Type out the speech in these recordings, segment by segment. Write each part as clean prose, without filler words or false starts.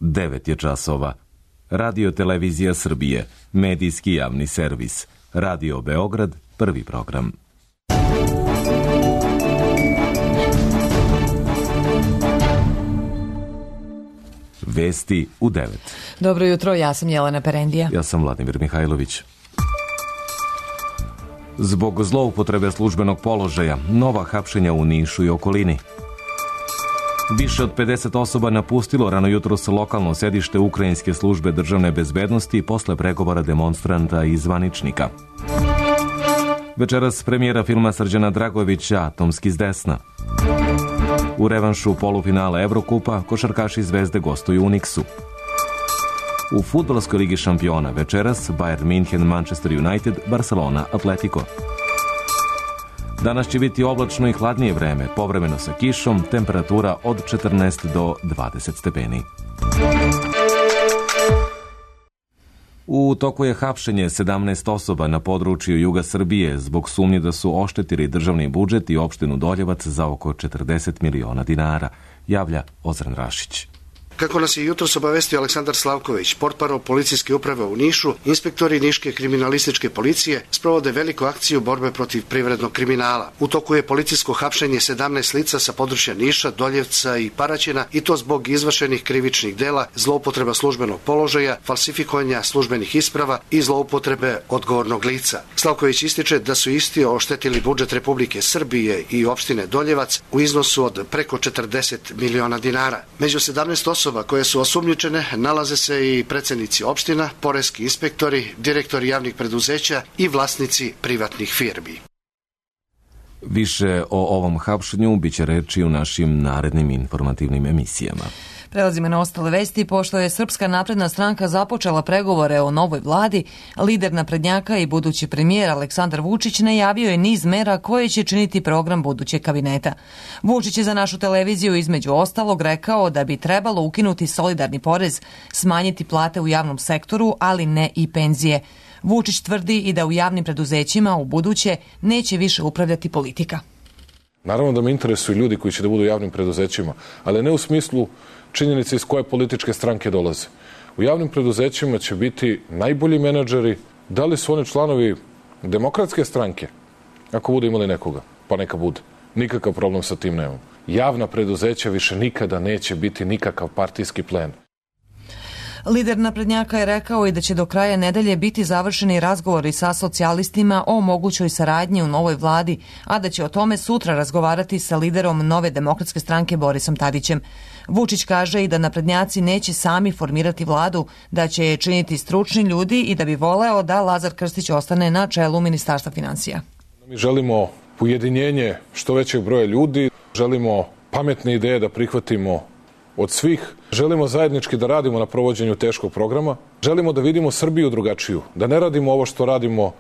9 je časova. Radio Televizija Srbije, medijski javni servis. Radio Beograd, prvi program. Vesti u 9. Dobro jutro, ja sam Jelena Perendija. Ja sam Vladimir Mihajlović. Zbog zloupotrebe službenog položaja, nova hapšenja u Nišu i okolini. Više od 50 osoba napustilo rano jutros lokalno sedište Ukrajinske službe državne bezbednosti posle pregovora demonstranta i zvaničnika. Večeras premijera filma Srđana Dragojevića Atomski s desna. U revanšu polufinala Evrokupa košarkaši Zvezde gostuju u Niksu. U fudbalskoj ligi šampiona večeras Bayern München, Manchester United, Barcelona, Atletico. Danas će biti oblačno i hladnije vreme, povremeno sa kišom, temperatura od 14 do 20 stepeni. U toku je hapšenje 17 osoba na području juga Srbije zbog sumnje da su oštetili državni budžet i opštinu Doljevac za oko 40 miliona dinara, javlja Ozren Rašić. Kako nas je jutros obavestio Aleksandar Slavković, portparol policijske uprave u Nišu, inspektori Niške kriminalističke policije sprovode veliku akciju borbe protiv privrednog kriminala. U toku je policijsko hapšenje 17 lica sa područja Niša, Doljevca i Paraćina, i to zbog izvršenih krivičnih dela, zloupotreba službenog položaja, falsifikovanja službenih isprava i zloupotrebe odgovornog lica. Slavković ističe da su isti oštetili budžet Republike Srbije i opštine Doljevac u iznosu od preko 40 miliona dinara. Među 17 osoba koje su osumnjičene nalaze se i predsednici opština, poreski inspektori, direktori javnih preduzeća i vlasnici privatnih firmi. Više o ovom hapšenju biće reči u našim narednim informativnim emisijama. Prelazimo na ostale vesti. Pošto je Srpska napredna stranka započela pregovore o novoj vladi, lider naprednjaka i budući premijer Aleksandar Vučić najavio je niz mera koje će činiti program budućeg kabineta. Vučić je za našu televiziju između ostalog rekao da bi trebalo ukinuti solidarni porez, smanjiti plate u javnom sektoru, ali ne i penzije. Vučić tvrdi i da u javnim preduzećima u buduće neće više upravljati politika. Naravno da me interesuju ljudi koji će da budu u javnim preduzećima, ali ne u smislu činjenice iz koje političke stranke dolaze. U javnim preduzećima će biti najbolji menadžeri. Da li su oni članovi Demokratske stranke? Ako bude imali nekoga, pa neka bude. Nikakav problem sa tim nemam. Javna preduzeća više nikada neće biti nikakav partijski plen. Lider naprednjaka je rekao i da će do kraja nedelje biti završeni razgovori sa socijalistima o mogućoj saradnji u novoj vladi, a da će o tome sutra razgovarati sa liderom Nove demokratske stranke Borisom Tadićem. Vučić kaže i da naprednjaci neće sami formirati vladu, da će je činiti stručni ljudi i da bi voleo da Lazar Krstić ostane na čelu Ministarstva finansija. Mi želimo ujedinjenje što većeg broja ljudi, želimo pametne ideje da prihvatimo od svih. Želimo zajednički da radimo na provođenju teškog programa. Želimo da vidimo Srbiju drugačiju, da ne radimo ovo što radimo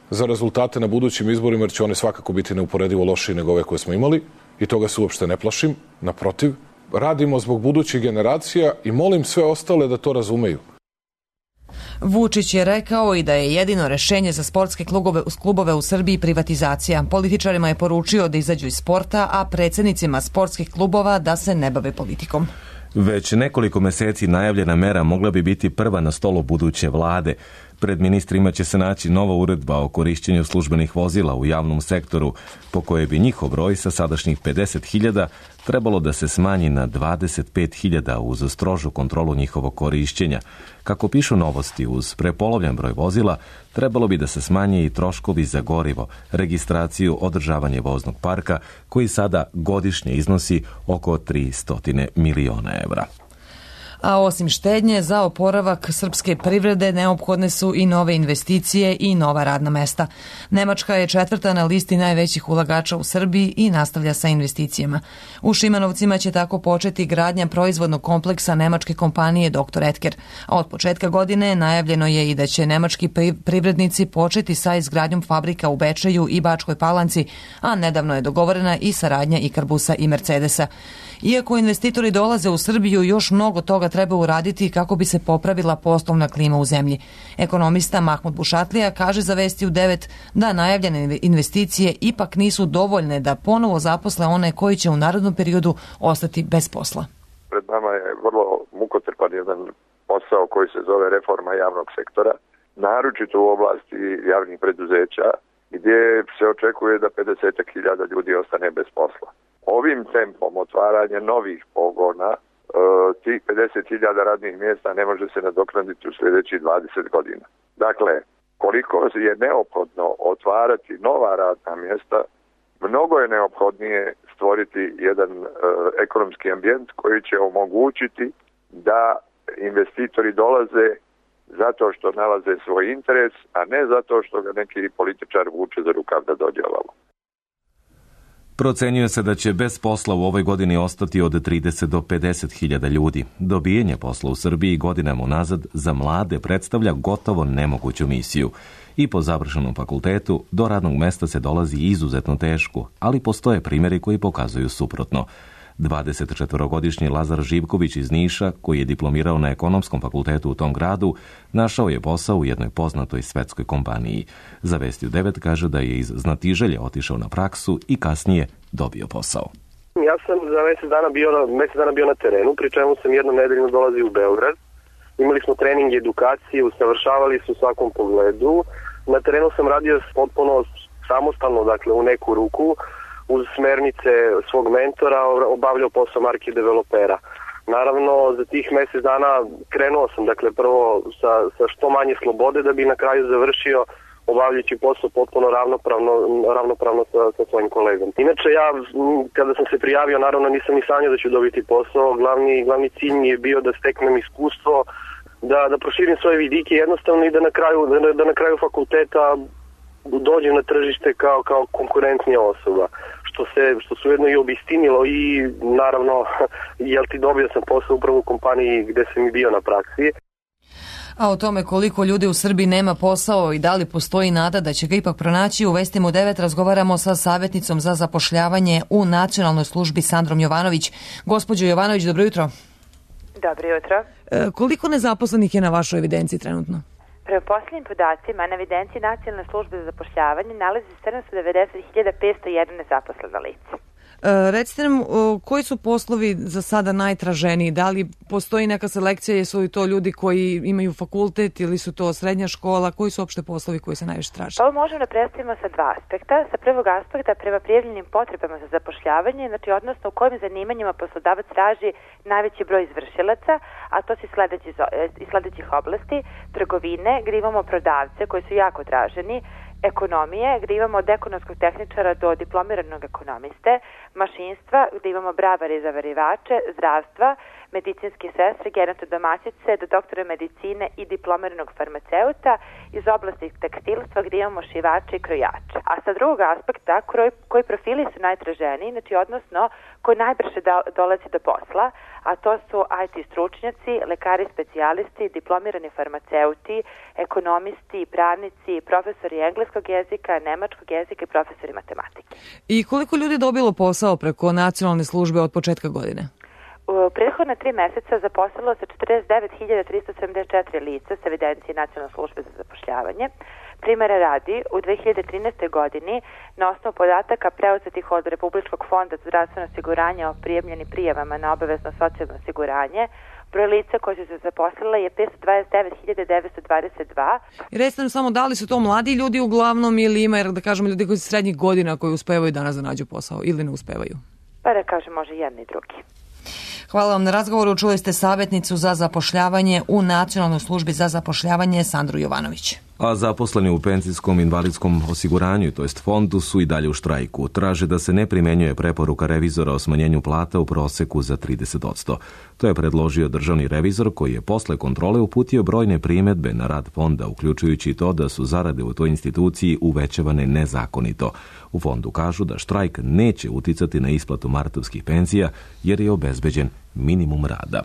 za rezultate na budućim izborima, jer će one svakako biti neuporedivo lošiji nego ove koje smo imali i toga se uopšte ne plašim. Naprotiv, radimo zbog budućih generacija i molim sve ostale da to razumeju. Vučić je rekao i da je jedino rešenje za sportske klubove u Srbiji privatizacija. Političarima je poručio da izađu iz sporta, a predsjednicima sportskih klubova da se ne bave politikom. Već nekoliko meseci najavljena mera mogla bi biti prva na stolu buduće vlade. Pred ministrima će se naći nova uredba o korišćenju službenih vozila u javnom sektoru, po kojoj bi njihov broj sa sadašnjih 50.000 trebalo da se smanji na 25.000 uz strožu kontrolu njihovog korišćenja. Kako pišu Novosti, uz prepolovljen broj vozila trebalo bi da se smanje i troškovi za gorivo, registraciju, održavanje voznog parka, koji sada godišnje iznosi oko 300 miliona evra. A osim štednje, za oporavak srpske privrede neophodne su i nove investicije i nova radna mesta. Nemačka je 4. na listi najvećih ulagača u Srbiji i nastavlja sa investicijama. U Šimanovcima će tako početi gradnja proizvodnog kompleksa nemačke kompanije Dr. Edker. A od početka godine najavljeno je i da će nemački privrednici početi sa izgradnjom fabrika u Bečeju i Bačkoj Palanci, a nedavno je dogovorena i saradnja Ikarbusa i Mercedesa. Iako investitori dolaze u Srbiju, još mnogo toga treba uraditi kako bi se popravila poslovna klima u zemlji. Ekonomista Mahmud Bušatlija kaže za Vesti u 9 da najavljene investicije ipak nisu dovoljne da ponovo zaposle one koji će u narednom periodu ostati bez posla. Pred nama je vrlo mukotrpan zahtjevan jedan posao koji se zove reforma javnog sektora, naročito u oblasti javnih preduzeća, gdje se očekuje da 50.000 ljudi ostane bez posla. Ovim tempom otvaranja novih pogona, tih 50.000 radnih mjesta ne može se nadoknaditi u sljedećih 20 godina. Dakle, koliko je neophodno otvarati nova radna mjesta, mnogo je neophodnije stvoriti jedan ekonomski ambijent koji će omogućiti da investitori dolaze zato što nalaze svoj interes, a ne zato što ga neki političar vuče za rukav da dođe ovamo. Procenjuje se da će bez posla u ovoj godini ostati od 30 do 50.000 ljudi. Dobijanje posla u Srbiji godinama unazad za mlade predstavlja gotovo nemoguću misiju. I po završenom fakultetu do radnog mesta se dolazi izuzetno teško, ali postoje primjeri koji pokazuju suprotno. 24-godišnji Lazar Živković iz Niša, koji je diplomirao na ekonomskom fakultetu u tom gradu, našao je posao u jednoj poznatoj svetskoj kompaniji. Za Vesti u 9 kaže da je iz znatiželje otišao na praksu i kasnije dobio posao. Ja sam za mesec dana bio na terenu, pri čemu sam jednom nedeljno dolazio u Beograd. Imali smo trening i edukacije, usavršavali su u svakom pogledu. Na terenu sam radio potpuno samostalno, dakle u neku ruku, uz smernice svog mentora, obavljao posao market developera. Naravno, za tih mjesec dana krenuo sam, dakle, prvo sa što manje slobode, da bi na kraju završio obavljajući posao potpuno ravnopravno sa svojim kolegom. Inače, ja, kada sam se prijavio, naravno nisam ni sanjao da ću dobiti posao. Glavni cilj mi je bio da steknem iskustvo, da proširim svoje vidike jednostavno i da na kraju fakulteta dođem na tržište kao konkurentnija osoba, što se ujedno i obistinilo i naravno, dobio sam posao upravo u kompaniji gde sam i bio na praksi. A o tome koliko ljudi u Srbiji nema posao i da li postoji nada da će ga ipak pronaći, u Vestima u 9 razgovaramo sa savjetnicom za zapošljavanje u Nacionalnoj službi Sandrom Jovanović. Gospođo Jovanović, dobro jutro. Dobro jutro. Koliko nezaposlenih je na vašoj evidenciji trenutno? Prema posljednjim podacima na evidenciji Nacionalne službe za zapošljavanje nalazi 790.501 nezaposlena lica. Recite nam, koji su poslovi za sada najtraženiji? Da li postoji neka selekcija, jesu li to ljudi koji imaju fakultet ili su to srednja škola? Koji su opšte poslovi koji se najviše traže? Ovo možemo da predstavimo sa dva aspekta. Sa prvog aspekta prema prijavljenim potrebama za zapošljavanje, znači odnosno u kojim zanimanjima poslodavac traži najveći broj izvršilaca, a to su iz sledećih oblasti: trgovine, gdje imamo prodavce koji su jako traženi, ekonomije, gdje imamo od ekonomskog tehničara do diplomiranog ekonomiste, mašinstva, gdje imamo bravare i zavarivače, zdravstva, medicinske sestre, gerontodomaćice, do doktora medicine i diplomiranog farmaceuta, iz oblasti tekstilstva gdje imamo šivače i krojače. A sa drugog aspekta, koji profili su najtraženiji, znači odnosno koji najbrže dolazi do posla, a to su IT stručnjaci, lekari specijalisti, diplomirani farmaceuti, ekonomisti, pravnici, profesori engleskog jezika, nemačkog jezika i profesori matematike. I koliko ljudi je dobilo posao preko Nacionalne službe od početka godine? U prethodna 3 mjeseca zaposlilo se 49.374 lica s evidencije Nacionalne službe za zapošljavanje. Primjera radi, u 2013. godini na osnovu podataka preuzetih od Republičkog fonda za zdravstveno osiguranje o prijavljenim prijavama na obavezno socijalno osiguranje, broj lica koji su se zaposlila je 529.922. I recite nam samo, da li su to mladi ljudi uglavnom ili ima, da kažemo, ljudi koji su srednjih godina koji uspevaju danas da nađu posao ili ne uspevaju? Pa da kažem, može jedni i drugi. Hvala vam na razgovoru. Čuli ste savjetnicu za zapošljavanje u Nacionalnoj službi za zapošljavanje Sandru Jovanović. A zaposleni u penzijskom invalidskom osiguranju, to jest fondu, su i dalje u štrajku. Traže da se ne primjenjuje preporuka revizora o smanjenju plata u proseku za 30%. To je predložio državni revizor koji je posle kontrole uputio brojne primjedbe na rad fonda, uključujući to da su zarade u toj instituciji uvećavane nezakonito. U fondu kažu da štrajk neće uticati na isplatu martovskih penzija jer je obezbeđen minimum rada.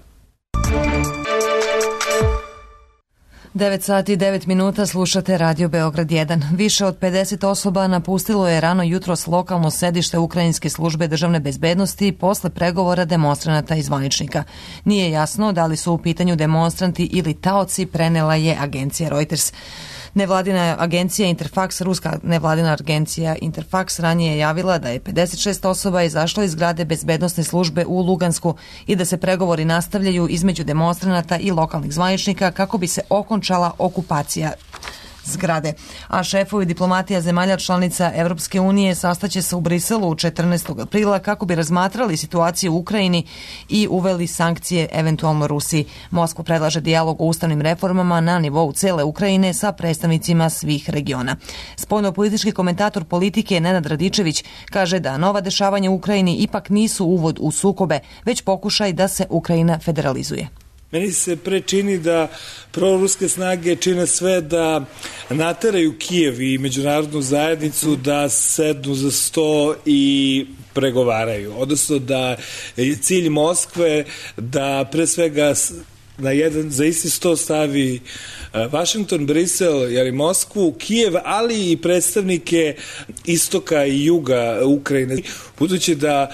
9 sati i 9 minuta slušate Radio Beograd 1. Više od 50 osoba napustilo je rano jutros lokalno sedište Ukrajinske službe državne bezbednosti posle pregovora demonstranata i zvaničnika. Nije jasno da li su u pitanju demonstranti ili taoci, prenela je agencija Reuters. Nevladina agencija Interfax, ruska nevladina agencija Interfax ranije je javila da je 56 osoba izašlo iz zgrade bezbednosne službe u Lugansku i da se pregovori nastavljaju između demonstranata i lokalnih zvaničnika kako bi se okončala okupacija zgrade. A šefovi diplomatija zemalja članica Evropske unije sastaće se u Briselu 14. aprila kako bi razmatrali situaciju u Ukrajini i uveli sankcije eventualno Rusiji. Moskva predlaže dijalog o ustavnim reformama na nivou cele Ukrajine sa predstavnicima svih regiona. Spoljnopolitički komentator politike Nenad Radičević kaže da nova dešavanja u Ukrajini ipak nisu uvod u sukobe, već pokušaj da se Ukrajina federalizuje. Meni se pre čini da proruske snage čine sve da nateraju Kijev i međunarodnu zajednicu da sednu za sto i pregovaraju. Odnosno da je cilj Moskve da pre svega za isti sto stavi Vašington, Brisel, Moskvu, Kijev, ali i predstavnike istoka i juga Ukrajine. Budući da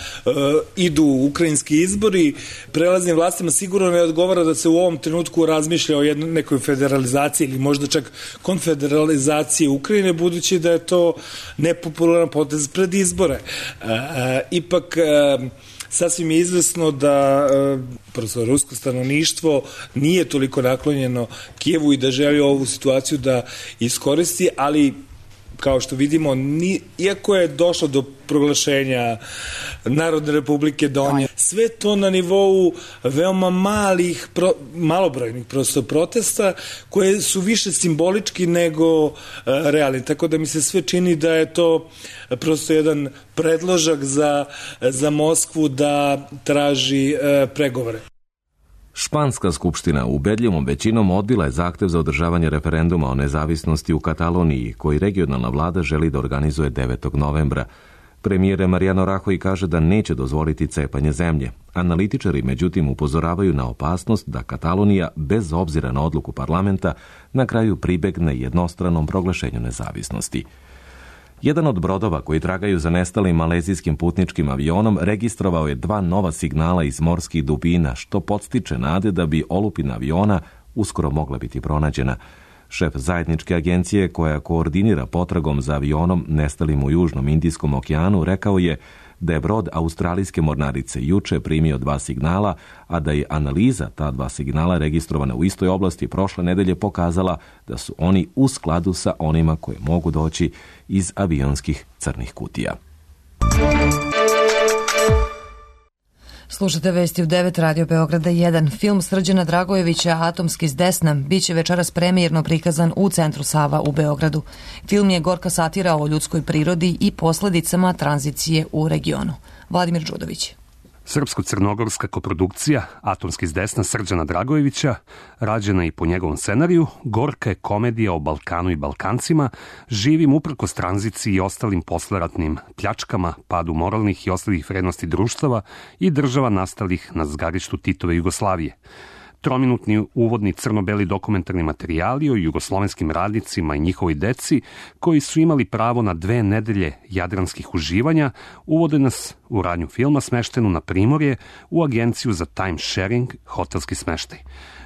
idu ukrajinski izbori, prelaznim vlastima sigurno ne odgovara da se u ovom trenutku razmišlja o nekoj federalizaciji ili možda čak konfederalizaciji Ukrajine, budući da je to nepopularan potez pred izbore. Ipak sasvim je izvesno da prosto rusko stanovništvo nije toliko naklonjeno Kijevu i da želi ovu situaciju da iskoristi, ali kao što vidimo, iako je došlo do proglašenja Narodne republike Donje, sve to na nivou veoma malobrojnih prosto protesta koje su više simbolički nego realni. Tako da mi se sve čini da je to prosto jedan predložak za Moskvu da traži pregovore. Španska skupština ubedljivom većinom odbila je zahtev za održavanje referenduma o nezavisnosti u Kataloniji, koji regionalna vlada želi da organizuje 9. novembra. Premijer Mariano Rajoy kaže da neće dozvoliti cepanje zemlje. Analitičari međutim upozoravaju na opasnost da Katalonija, bez obzira na odluku parlamenta, na kraju pribegne jednostranom proglašenju nezavisnosti. Jedan od brodova koji tragaju za nestalim malezijskim putničkim avionom registrovao je 2 nova signala iz morskih dubina, što podstiče nade da bi olupina aviona uskoro mogla biti pronađena. Šef zajedničke agencije koja koordinira potragom za avionom nestalim u Južnom Indijskom okeanu rekao je da je brod australijske mornarice juče primio 2 signala, a da je analiza ta 2 signala registrovana u istoj oblasti prošle nedelje pokazala da su oni u skladu sa onima koje mogu doći iz avionskih crnih kutija. Slušate vesti u 9 Radio Beograda 1. Film Srđana Dragojevića Atomski s desna biće večeras premijerno prikazan u Centru Sava u Beogradu. Film je gorka satira o ljudskoj prirodi i posledicama tranzicije u regionu. Vladimir Đudović. Srpsko-crnogorska koprodukcija Atomski s desna Srđana Dragojevića, rađena i po njegovom scenariju, gorka je komedija o Balkanu i Balkancima, živim uprkos tranziciji i ostalim posleratnim pljačkama, padu moralnih i ostalih vrednosti društava i država nastalih na zgarištu Titove Jugoslavije. Trominutni uvodni crno-beli dokumentarni materijali o jugoslovenskim radnicima i njihovoj deci koji su imali pravo na 2 nedelje jadranskih uživanja uvode nas u radnju filma smeštenu na Primorje u agenciju za time sharing hotelski smeštaj.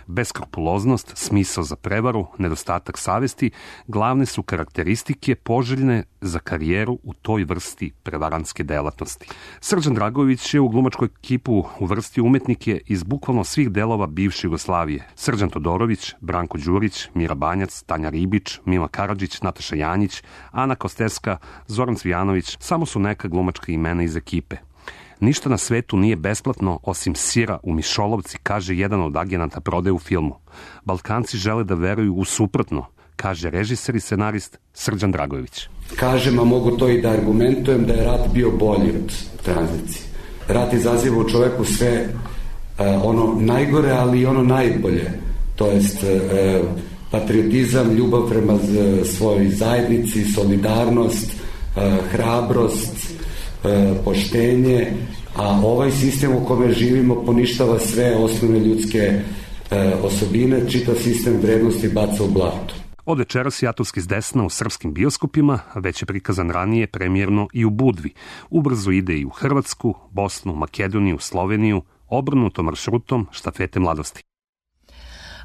Beskrupuloznost, smisao za prevaru, nedostatak savesti glavne su karakteristike poželjne za karijeru u toj vrsti prevarantske delatnosti. Srđan Dragojević je u glumačku ekipu uvrstio umetnike iz bukvalno svih delova bivše Jugoslavije. Srđan Todorović, Branko Đurić, Mira Banjac, Tanja Ribić, Mila Karadžić, Nataša Janjić, Ana Kosteska, Zoran Cvijanović samo su neka glumačka imena iz ekipe. Ništa na svetu nije besplatno osim sira u mišolovci, kaže jedan od agenata prodaje u filmu. Balkanci žele da veruju u suprotno, kaže režiser i scenarist Srđan Dragojević. Kažem, a mogu to i da argumentujem, da je rat bio bolji od tranzicije. Rat izaziva u čoveku sve ono najgore, ali i ono najbolje. To jest patriotizam, ljubav prema svojoj zajednici, solidarnost, hrabrost, poštenje, a ovaj sistem u kome živimo poništava sve osnovne ljudske osobine, čitav sistem vrednosti baca u blato. Od večeras je Atomski s desna u srpskim bioskopima, već je prikazan ranije premijerno i u Budvi. Ubrzo ide i u Hrvatsku, Bosnu, Makedoniju, Sloveniju, obrnutom maršrutom štafete mladosti.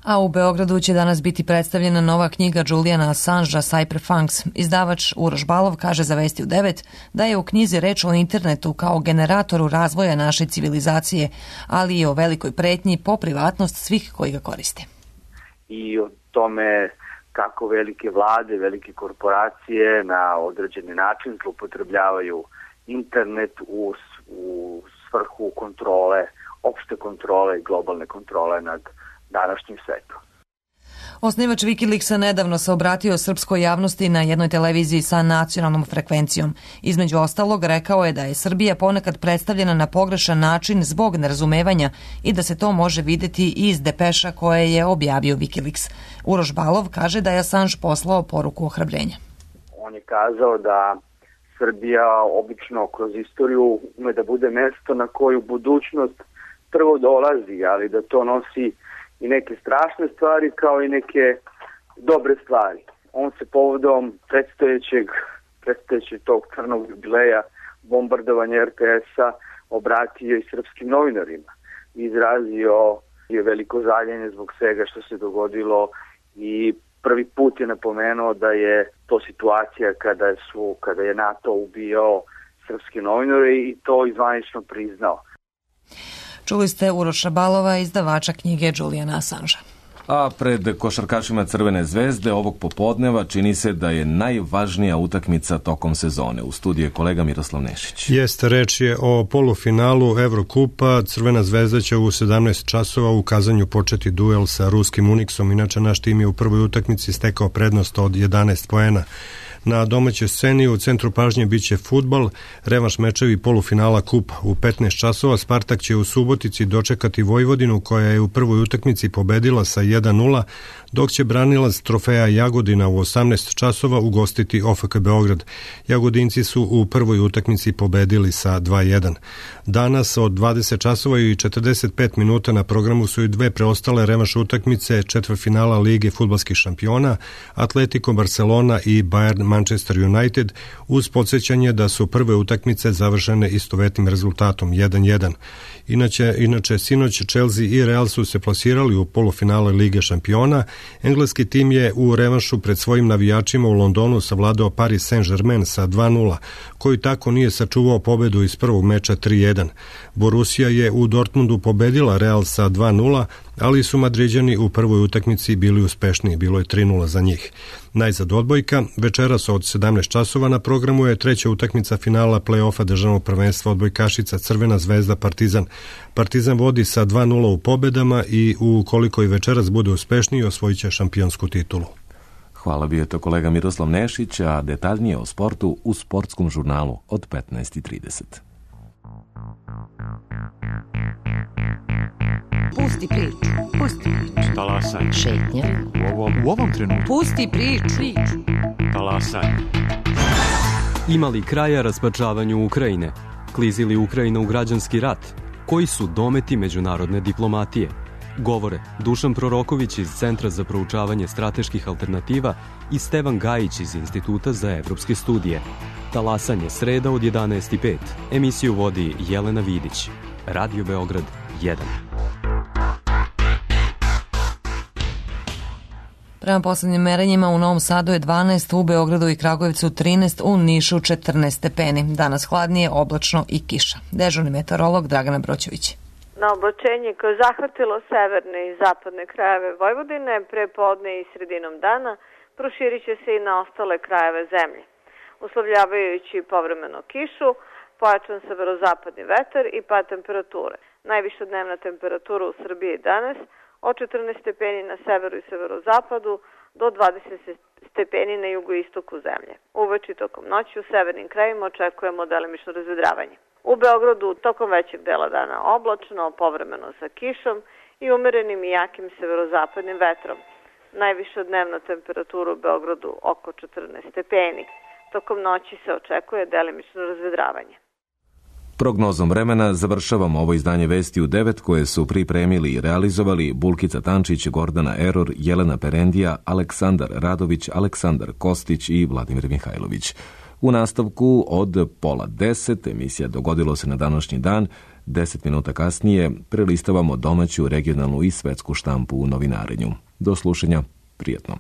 A u Beogradu će danas biti predstavljena nova knjiga Juliana Assangea Cypherpunks. Izdavač Uroš Balov kaže za Vesti u 9 da je u knjizi reč o internetu kao generatoru razvoja naše civilizacije, ali i o velikoj pretnji po privatnost svih koji ga koriste. I o tome kako velike vlade, velike korporacije na određeni način zloupotrebljavaju internet u svrhu kontrole, opšte kontrole i globalne kontrole nad današnjim svetom. Osnivač Wikileaksa nedavno se obratio srpskoj javnosti na jednoj televiziji sa nacionalnom frekvencijom. Između ostalog, rekao je da je Srbija ponekad predstavljena na pogrešan način zbog nerazumevanja i da se to može videti iz depeša koje je objavio Wikileaks. Uroš Balov kaže da je Assange poslao poruku ohrabrenja. On je kazao da Srbija obično kroz istoriju ume da bude mesto na koju budućnost prvo dolazi, ali da to nosi i neke strašne stvari kao i neke dobre stvari. On se povodom predstojećeg tog crnog jubileja bombardovanja RTS-a obratio i srpskim novinarima. Izrazio je veliko žaljenje zbog svega što se dogodilo i prvi put je napomenuo da je to situacija kada je NATO ubijao srpske novinare i to izvanično priznao. Čuli ste Uroša Balova, izdavača knjige Juliana Assangea. A pred košarkašima Crvene zvezde ovog popodneva čini se da je najvažnija utakmica tokom sezone. U studiju je kolega Miroslav Nešić. Jeste, reč je o polufinalu Evrokupa. Crvena zvezda će u 17 časova u Kazanju početi duel sa ruskim Uniksom. Inače, naš tim je u prvoj utakmici stekao prednost od 11 poena. Na domaćoj sceni u centru pažnje biće fudbal, revanš mečevi polufinala kupa. U 15 časova Spartak će u Subotici dočekati Vojvodinu koja je u prvoj utakmici pobedila sa 1:0, dok će branilac trofeja Jagodina u 18 časova ugostiti OFK Beograd. Jagodinci su u prvoj utakmici pobedili sa 2:1. Danas od 20 časova i 45 minuta na programu su i dve preostale revanš utakmice četvrtfinala Lige fudbalskih šampiona, Atletico Barcelona i Bayern Manchester United, uz podsjećanje da su prve utakmice završene istovetnim rezultatom 1:1. Inače, sinoć Chelsea i Real su se plasirali u polufinale Lige šampiona. Engleski tim je u revanšu pred svojim navijačima u Londonu savladao Paris Saint-Germain sa 2:0, koji tako nije sačuvao pobedu iz prvog meča 3:1. Borussia je u Dortmundu pobedila Real sa 2:0, ali su Madriđani u prvoj utakmici bili uspešniji, bilo je 3:0 za njih. Najzad odbojka, večeras od 17 časova na programu je treća utakmica finala play-offa državnog prvenstva odbojkašica Crvena zvezda Partizan. Partizan vodi sa 2:0 u pobedama i ukoliko i večeras bude uspešniji, osvojit će šampionsku titulu. Hvala, bio je to kolega Miroslav Nešić, a detaljnije o sportu u sportskom žurnalu od 15:30. Pusti priču, pusti priču. Talasaj. Šetnja. U ovom trenutku. Pusti priču. Talasaj. Ima li kraja raspačavanju Ukrajine? Klizi li Ukrajina u građanski rat? Koji su dometi međunarodne diplomatije? Govore Dušan Proroković iz Centra za proučavanje strateških alternativa i Stevan Gajić iz Instituta za evropske studije. Talasanje sreda od 11:05. Emisiju vodi Jelena Vidić. Radio Beograd 1. Prema poslednjim merenjima u Novom Sadu je 12, u Beogradu i Kragujevcu 13, u Nišu 14 stepeni. Danas hladnije, oblačno i kiša. Dežurni meteorolog Dragana Broćević. Na oblačenje koje je zahvatilo severne i zapadne krajeve Vojvodine pre podne i sredinom dana proširit će se i na ostale krajeve zemlje, uslovljavajući povremeno kišu, pojačan severozapadni vetar i pad temperature. Najviša dnevna temperatura u Srbiji danas od 14 stepeni na severu i severozapadu do 20 stepeni na jugoistoku zemlje. Uveče i tokom noći u severnim krajevima očekujemo delimično razvedravanje. U Beogradu tokom većeg dela dana oblačno, povremeno sa kišom i umerenim i jakim severozapadnim vetrom. Najviša dnevna temperatura u Beogradu oko 14 stepeni. Tokom noći se očekuje delimično razvedravanje. Prognozom vremena završavamo ovo izdanje Vesti u 9 koje su pripremili i realizovali Bulkica Tančić, Gordana Eror, Jelena Perendija, Aleksandar Radović, Aleksandar Kostić i Vladimir Mihajlović. U nastavku od 9:30 emisija Dogodilo se na današnji dan 10 minuta kasnije prelistavamo domaću, regionalnu i svetsku štampu u novinarenju. Do slušanja, prijatno.